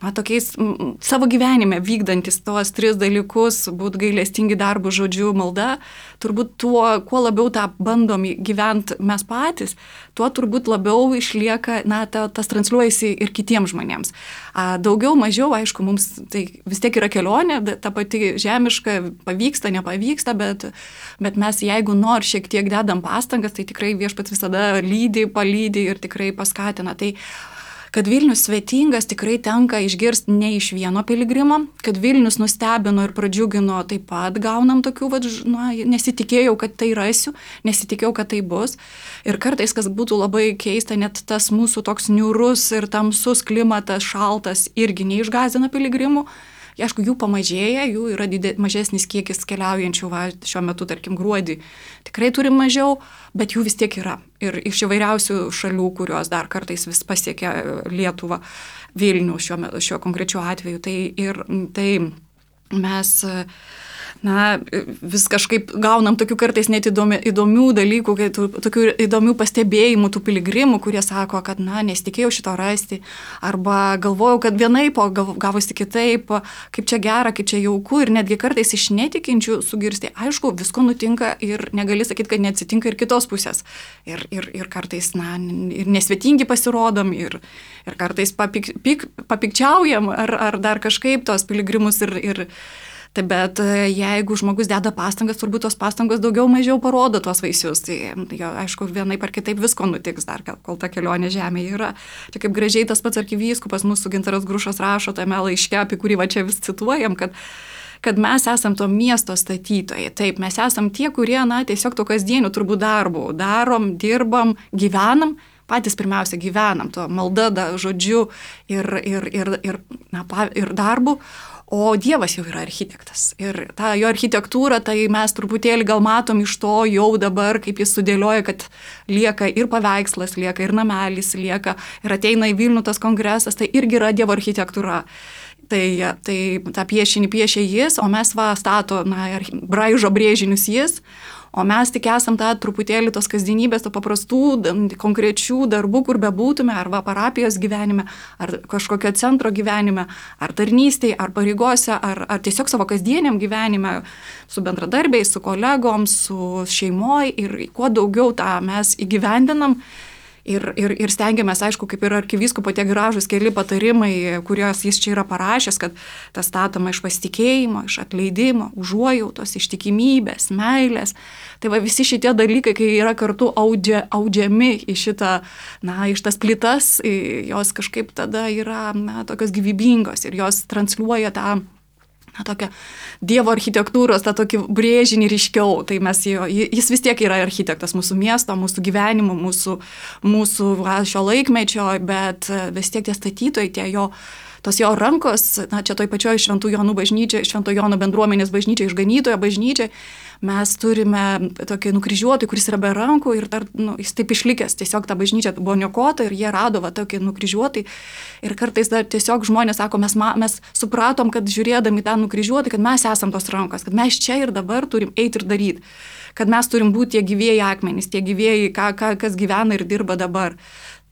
na, tokiais m, savo gyvenime vykdantis tuos tris dalykus, būt gailestingi darbų, žodžiu, malda, turbūt tuo, kuo labiau tą bandom gyventi mes patys, tuo turbūt labiau išlieka, na, ta, tas transliuojasi ir kitiems žmonėms. A, daugiau, mažiau, aišku, mums tai vis tiek yra kelionė, ta pati žemiška, pavyksta, nepavyksta, bet, bet mes jeigu nors šiek tiek dedam pastangas, tai tikrai Viešpats visada lydi, palydi ir tikrai paskatina. Tai kad Vilnius svetingas tikrai tenka išgirsti ne iš vieno piligrimo, kad Vilnius nustebino ir pradžiugino, taip pat gaunam tokių, va, na, nesitikėjau, kad tai rasiu, nesitikėjau, kad tai bus. Ir kartais, kas būtų labai keista, net tas mūsų toks niūrus ir tamsus klimatas, šaltas, irgi neišgąsdina piligrimų. Aišku, jų pamažėja, jų yra didė, mažesnis kiekis keliaujančių, va, šiuo metu, tarkim, gruodį. Tikrai turim mažiau, bet jų vis tiek yra. Ir iš įvairiausių šalių, kurios dar kartais vis pasiekia Lietuvą, Vilnių šiuo, šiuo konkrečiu atveju. Tai, ir, tai mes, na, vis kažkaip gaunam tokių kartais net įdomi, įdomių dalykų, tokių įdomių pastebėjimų tų piligrimų, kurie sako, kad, na, nesitikėjau šito rasti, arba galvojau, kad vienaip, o gavosi kitaip, kaip čia gera, kaip čia jauku, ir netgi kartais iš netikinčių sugirsti, aišku, visko nutinka ir negali sakyti, kad neatsitinka ir kitos pusės. Ir, ir, ir kartais, na, ir nesvetingi pasirodom, ir, ir kartais papik, pik, papikčiaujam, ar, ar dar kažkaip tos piligrimus ir, ir Tai bet jeigu žmogus deda pastangas, turbūt tos pastangos daugiau mažiau parodo tuos vaisius. Tai jo, aišku, vienaip ar kitaip visko nutiks dar, kol ta kelionė žemėje yra. Čia kaip gražiai tas pats arkivyskupas mūsų Gintaras Grušas rašo tame laiške, apie kurį va čia vis cituojam, kad kad mes esam to miesto statytojai. Taip, mes esam tie, kurie, na, tiesiog to kasdienių turbūt darbų darom, dirbam, gyvenam, patys pirmiausia gyvenam, to malda, da, žodžiu ir, ir, ir, ir, na, ir darbu. O Dievas jau yra architektas. Ir tą jo architektūrą, tai mes truputėlį gal matom iš to jau dabar, kaip jis sudėlioja, kad lieka ir paveikslas, lieka ir namelis, lieka ir ateina į Vilnių tas kongresas, tai irgi yra Dievo architektūra. Tai, tai tą piešinį piešia jis, o mes va stato, na, braižo brėžinius jis, o mes tik esam tą truputėlį tos kasdienybės, to paprastų, konkrečių darbų, kur bebūtume, arba parapijos gyvenime, ar kažkokio centro gyvenime, ar tarnystėje, ar pareigose, ar, ar tiesiog savo kasdieniam gyvenime, su bendradarbiais, su kolegom, su šeimoj, ir kuo daugiau tą mes įgyvendinam. Ir, ir, ir stengiamės, aišku, kaip ir arkivyskupo tie gražūs keli patarimai, kuriuos jis čia yra parašęs, kad tas statoma iš pasitikėjimo, iš atleidimo, užuojautos, ištikimybės, meilės. Tai va visi šitie dalykai, kai yra kartu audžia, audžiami į šitą, na, iš tas plytas, jos kažkaip tada yra, na, tokios gyvybingos ir jos transliuoja tą, na, tokią Dievo architektūros, tą tokį brėžinį ryškiau. Tai mes jo, jis vis tiek yra architektas mūsų miesto, mūsų gyvenimo, mūsų, mūsų va, šio laikmečio, bet vis tiek tie statytojai, tie jo, tos jo rankos, na, čia toj pačioj Šventų Jonų bažnyčiai, Švento Jono bendruomenės bažnyčiai, išganytojo bažnyčiai, mes turime tokį nukryžiuotą, kuris yra be rankų ir dar, nu, jis taip išlikęs, tiesiog ta bažnyčia buvo niokota ir jie rado va tokį nukryžiuotą. Ir kartais dar tiesiog žmonės sako, mes, mes supratom, kad žiūrėdami tą nukryžiuotą, kad mes esam tos rankos, kad mes čia ir dabar turim eiti ir daryti, kad mes turim būti tie gyvieji akmenys, tie gyvieji, ką, ką, kas gyvena ir dirba dabar.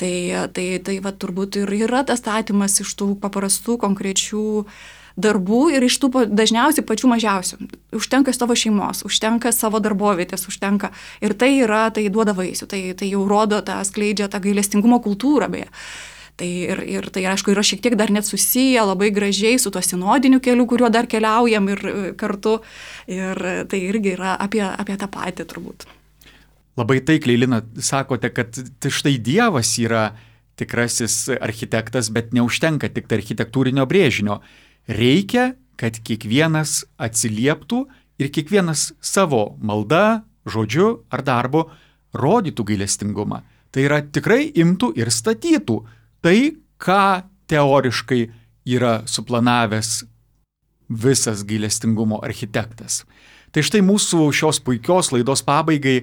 Tai, tai, tai va turbūt ir yra tas statymas iš tų paprastų, konkrečių darbų ir iš tų dažniausiai pačių mažiausių. Užtenka savo šeimos, užtenka savo darbovietės, užtenka. Ir tai yra, tai duoda vaisių, tai, tai jau rodo, tą skleidžia tą gailestingumo kultūrą beje. Tai ir, ir tai, aišku, yra šiek tiek dar net susiję labai gražiai su tuo sinodiniu keliu, kuriuo dar keliaujam ir kartu. Ir tai irgi yra apie, apie tą patį turbūt. Labai taikliai, Lina, sakote, kad štai Dievas yra tikrasis architektas, bet neužtenka tik tai architektūrinio brėžinio. Reikia, kad kiekvienas atsilieptų ir kiekvienas savo malda, žodžiu ar darbu rodytų gailestingumą. Tai yra tikrai imtų ir statytų tai, ką teoriškai yra suplanavęs visas gailestingumo architektas. Tai štai mūsų šios puikios laidos pabaigai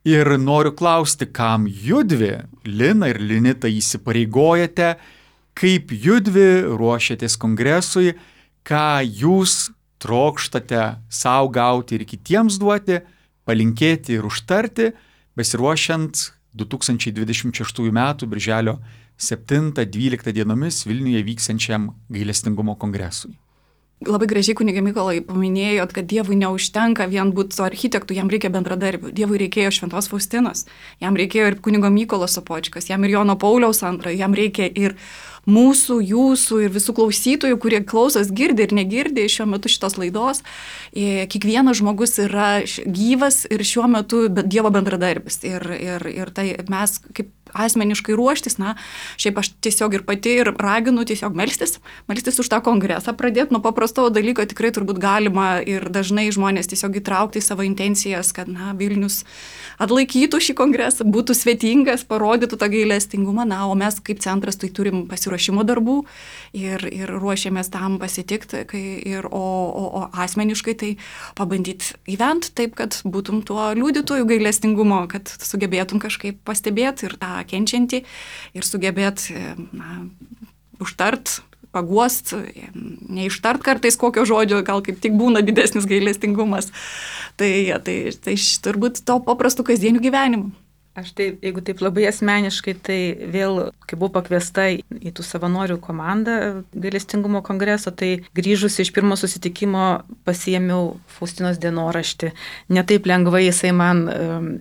ir noriu klausti, kam judvi, Lina ir Linita, įsipareigojate, kaip judvi ruošiatės kongresui, ką jūs trokštate savo gauti ir kitiems duoti, palinkėti ir užtarti, besiruošiant du tūkstančiai dvidešimt šeštųjų metų birželio septintą dvyliktą dienomis Vilniuje vyksiančiam gailestingumo kongresui. Labai gražiai, kunige Mykolai, paminėjot, kad Dievui neužtenka vien būti su architektu, jam reikia bendradarbių. Dievui reikėjo Šventos Faustinos, jam reikėjo ir kunigo Mykolo Sopočkos, jam ir Jono Pauliaus antrojo, jam reikia ir mūsų, jūsų ir visų klausytojų, kurie klausos, girdi ir negirdi šiuo metu šitos laidos. Kiekvienas žmogus yra gyvas ir šiuo metu Dievo bendradarbis. Ir, ir, ir tai mes kaip asmeniškai ruoštis, na, šiaip aš tiesiog ir pati ir raginu tiesiog melstis, melstis už tą kongresą, pradėti nuo paprasto dalyko, tikrai turbūt galima ir dažnai žmonės tiesiog įtraukti į savo intencijas, kad, na, Vilnius atlaikytų šį kongresą, būtų svetingas, parodytų tą gailestingumą, na, o mes kaip centras tai turim pasiruošimo darbų ir, ir ruošiamės tam pasitikti, kai, ir, o, o, o asmeniškai tai pabandyti gyventi taip, kad būtum tuo liudytojų gailestingumo, kad sugebėtum kažkaip pastebėti ir tą kenčiantį ir sugebėt, na, užtart, paguost, neištart kartais kokio žodžio, gal kaip tik būna didesnis gailestingumas. Tai, tai, tai turbūt to paprastų kasdienių gyvenimų. Aš taip, jeigu taip labai asmeniškai, tai vėl, kai buvau pakviesta į tų savanorių komandą gailestingumo kongreso, tai grįžus iš pirmo susitikimo pasiėmiau Faustinos dienoraštį. Ne taip lengvai jisai man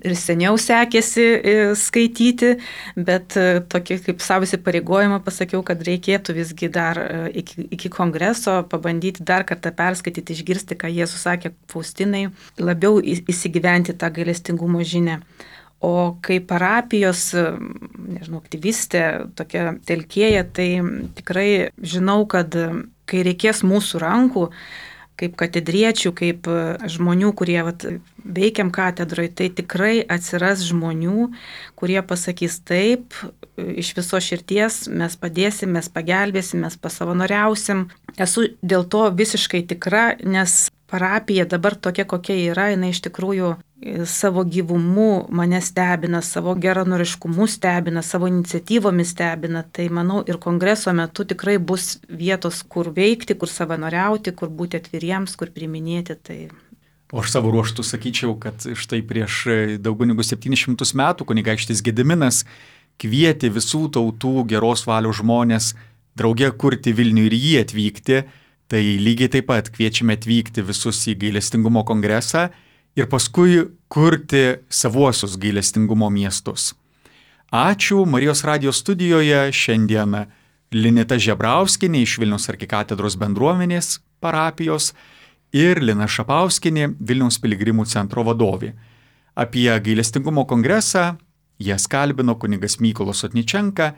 ir seniau sekėsi skaityti, bet tokį kaip savo įsipareigojimą pasakiau, kad reikėtų visgi dar iki, iki kongreso pabandyti dar kartą perskaityti, išgirsti, ką Jėzus sakė Faustinai, labiau įsigyventi tą gailestingumo žinią. O kai parapijos, nežinau, aktyvistė, tokia telkėja, tai tikrai žinau, kad kai reikės mūsų rankų, kaip katedriečių, kaip žmonių, kurie vat, veikiam katedroje, tai tikrai atsiras žmonių, kurie pasakys taip, iš viso širties mes padėsim, mes pagelbėsim, mes pasavanoriausim. Esu dėl to visiškai tikra, nes parapija dabar tokia, kokia yra, jinai iš tikrųjų savo gyvumu mane stebina, savo geranoriškumu stebina, savo iniciatyvomis stebina. Tai manau ir kongreso metu tikrai bus vietos, kur veikti, kur savanoriauti, kur būti atviriems, kur priiminėti. Tai... O aš savo ruoštų sakyčiau, kad štai prieš daugiau negu septynis šimtus metų kunigaikštis Gediminas kvietė visų tautų geros valios žmonės drauge kurti Vilnių ir jį atvykti. Tai lygiai taip pat kviečiame atvykti visus į gailestingumo kongresą ir paskui kurti savuosius gailestingumo miestus. Ačiū. Marijos radijo studijoje šiandien Linita Žebrauskienė iš Vilniaus arkikatedros bendruomenės parapijos ir Lina Šapauskienė, Vilniaus piligrimų centro vadovė. Apie gailestingumo kongresą jas kalbino kunigas Mykolas Sotničenka.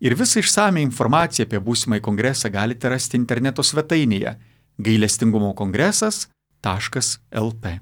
Ir visą išsame informaciją apie būsimąjį kongresą galite rasti interneto svetainėje gailestingumo kongresas taškas el t.